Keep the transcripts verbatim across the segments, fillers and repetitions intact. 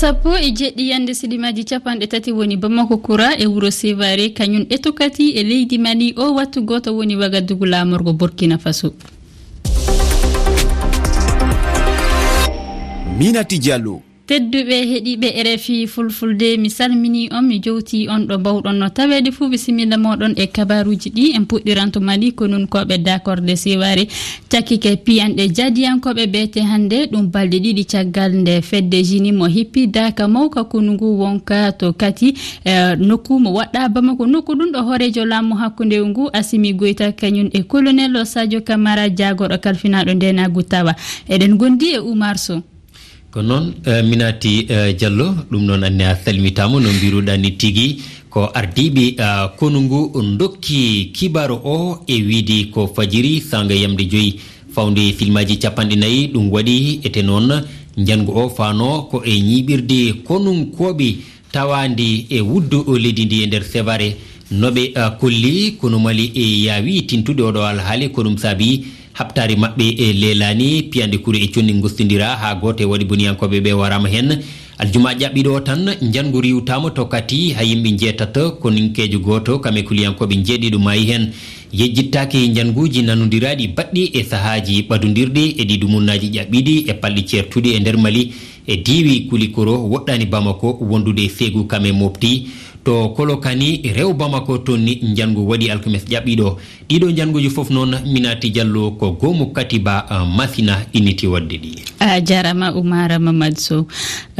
Sappo e jeɗɗi yande silimaaji capanɗe tati woni Bamako Kura e wuro Sevare, kañum e tokati e leydi Mali. O wattu gooto woni Wagadugu laamorgo Burkina Faso. Minati Diallo. Tedduɓe heɗiiɓe R F I Fulfulde, mi salmini on, mi jowti on ɗo mbawɗon no taweede fuu. Bisimilla mooɗon e kabaruuji ɗi. En puɗɗiranto Mali, konunkooɓe dakorde Sevare cakkike piyanɗe jaadiyankooɓe beete hannde. Ɗum balɗe ɗiɗi caggal nde fedde Jini mo hippi daaka mawka konu ngu wonka to kati, eh, nokku mo waɗɗa Bamako. Nokku ɗum ɗo hooreejo laamu hakkunde ngu Asimi Goyta kañum e colonel Sadio Camara jaagorɗo kalfinaaɗo ndenaagu tawa. Eɗen gondi e Oumar Sow. Ko noon, eh, Minati, eh, Diallo, ɗum noon anne a salmitaama no mbiruɗaa ni tigi. Ko ardiiɓe, eh, konu ngu ndokki kibaaru o e wiide ko fajiri saanga yamde joyi fawde silmaaji capanɗe nayi. Ɗum waɗi ete noon njanngu o faano ko e ñiiɓirde konunkooɓe tawaandi e wuddu o leydi ndi e nder Sevare. No ɓe, eh, kolli, konu Mali e yaawi tintude oɗo alhaali, ko ɗum saabi haɓtaari maɓɓe e leelaani, piyande kuru e conni ngostondira haa gooto e waɗi boniyankooɓe ɓe waraama heen. Aljuma ƴaɓɓiɗo tan, njanngu riiwtaama to kati haa yimɓe njeetato, koninkeejo gooto, kam e kuliyankooɓe njeeɗiɗo maayi heen. Yejjittaaki njannguuji nanondiraaɗi baɗɗi e sahaaji ɓadondirɗi e ɗi dumunnaaji ƴaɓɓiiɗi e palɗi ceertuɗi e nder Mali, e diiwi Kulikoro, woɗɗaani Bamako, wondude e Seegu kam e Mopti. To Kolokani, rewo Bamako, toon ni njanngu waɗi alkames ƴaɓɓiiɗo. Ɗiɗo njannguuji fof noon, Minati Diallo, ko goomu Katiba, ah, Masina inniti waɗde ɗi. A jaaraama, Oumar Mamadou Sow.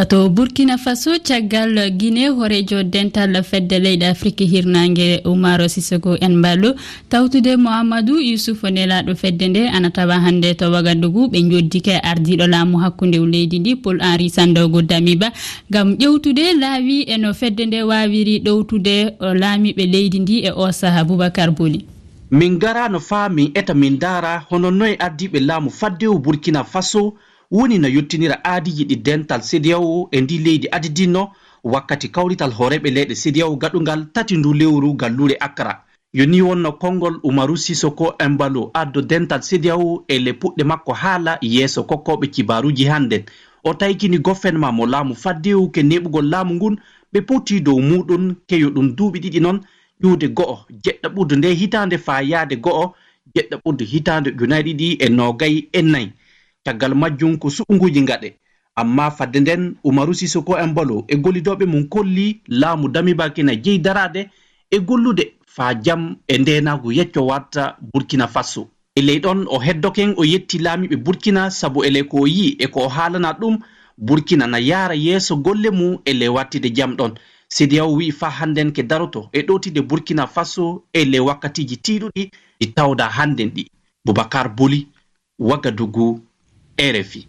To Burkina Faso, caggal Guinée, hooreejo dental fedde leyɗe Afrik hirnaange, Umaro Sissoco Embaló, tawtude Mouhamadou Youssouf, nelaaɗo fedde nde, ana tawa hannde to Wagadugu. Ɓe njoddike ardiiɗo laamu hakkunde leydi ndi, Paul Henri Sandaogo Damiba, ngam ƴewtude laawi e no fedde nde waawiri ɗowtude, o, laamiiɓe leydi ndi e o saha. Boubacar Boli. Min ngaraano faa min eta min ndaara hono noye ardiiɓe laamu faddewu Burkina Faso woni no yottinira aadiiji ɗi dental CEDEAO e ndi leydi adidinno wakkati kawrital hooreeɓe leyɗe CEDEAO gaɗungal tati ndu lewru galluure Accra. Yo ni wonno konngol Umaru Sisoko Embalo, addo dental CEDEAO e le puɗɗe makko haala yeeso kokkooɓe kibaaruuji hannden. O taykini gofenma mo laamu faddewu ke neeɓugol laamu ngun, ɓe poti dow muuɗun, keyo ɗun duuɓi ɗiɗi non, ƴuude go'o, jeɗɗa ɓurdu nde hitaande faa yaade go'o, jeɗɗa ɓurdu hitaande ujunaaji ɗiɗi e noogay e nay. Caggal majjum ko suɓunguuji ngaɗe. Ammaa fadde nden, Umaru Sisoko Embalo e gollidooɓe mum kolli laamu Damiba kina jeyi daraade e gollude faa jam e ndeenaagu yecco warta Burkina Faso. E ley ɗon, o heddoken, o yetti laamiiɓe Burkina sabu ele ko o yi'i e ko o haalana ɗum, Burkina na yaara yeeso golle mum e le wattide jam ɗon. CEDEAO wi'i faa hannden ke daroto e ɗowtide Burkina Faso e le wakkatiiji tiiɗuɗi ɗi tawda hannden ɗi. Boubacar Boli, Wagadugu, R F I.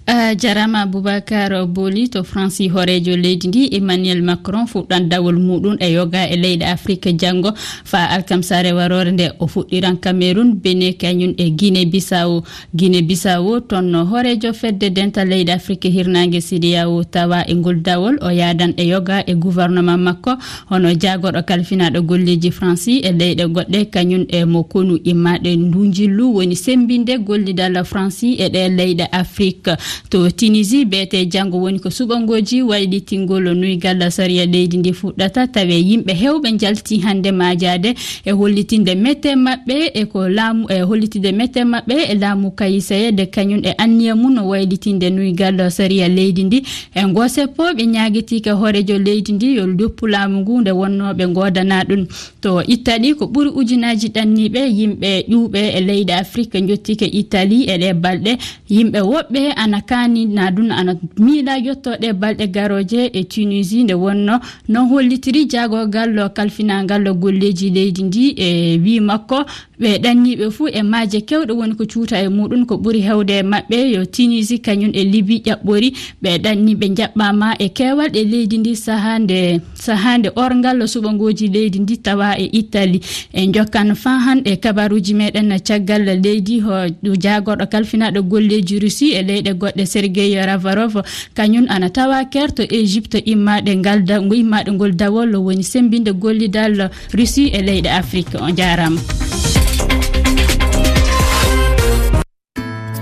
A jarama Boubacar Boli. To Fransi, hooreejo leydi ndi Emmanuel Macron fuɗɗan dawol muɗum e yoga e leyɗe Afrik janngo faa alkamsare waroore nde. O fuɗɗiran Cameroun, Benin, kañum e Guinée Bissau. Guinée Bissau, toon no hooreejo fedde dental leyɗe Afrik hirnaange CEDEAO tawa e ngol dawol. O yaadan e yoga e gouvernement makko, hono jaagorɗo kalfinaaɗo golleeji Fransi e leyɗe goɗɗe, kañum e mo konu immaaɗo e ndu njillu woni semmbinde gollidal Fransi e ɗe leyɗe Afrik. To Tunisie, beete janngo woni ko suɓangooji waylitingol nuygal sariya leydi ndi fuɗɗata. Tawe yimɓe heewɓe njalti hannde maajaade e hollitinde mette maɓɓe e ko laamu, e hollitinde mette maɓɓe e laamu Kayiseye de kañum e anniya mum no waylitinde nuygal sariya leydi ndi. E ngoo seppo, ɓe ñaagitiike hooreejo leydi ndi yo doppu laamu ngu nde wonnoo ɓe ngoodana ɗum. To Italie, ko ɓuri ujunaaji ɗanniiɓe, yimɓe ƴuwɓe e leyɗe Afrik njottike Italie e ɗee balɗe. Yimɓe woɓɓe ana kaani na ɗum, ana miila yotto ɗee balɗe garooje e Tunisie, nde wonno non hollitiri jaagorgal kalfinaangal golleeji leydi ndi. E wii makko, ɓe ɗanniiɓe fuu e maaje kewɗe woni ko cuuta e muɗum. Ko ɓuri heewde e maɓɓe yo Tunisie kañum e Libye ƴaɓɓori. Ɓe ɗanni ɓe njaɓɓaama e keewal e leydi ndi sahaa nde, sahaa nde orngal suɓangooji leydi ndi tawa e Italie. En njokkan faa han e kabaruuji meɗen caggal leydi, ho jaagorɗo kalfinaaɗo golleeji Russie e leyɗe goɗɗe Sergei Lavrov, kañum ana tawa kerto Égypte immaaɗe ngal da-, ngo immaaɗe ngol dawol woni semmbinde gollidal Russie e leyɗe Afrik. On jaaraama.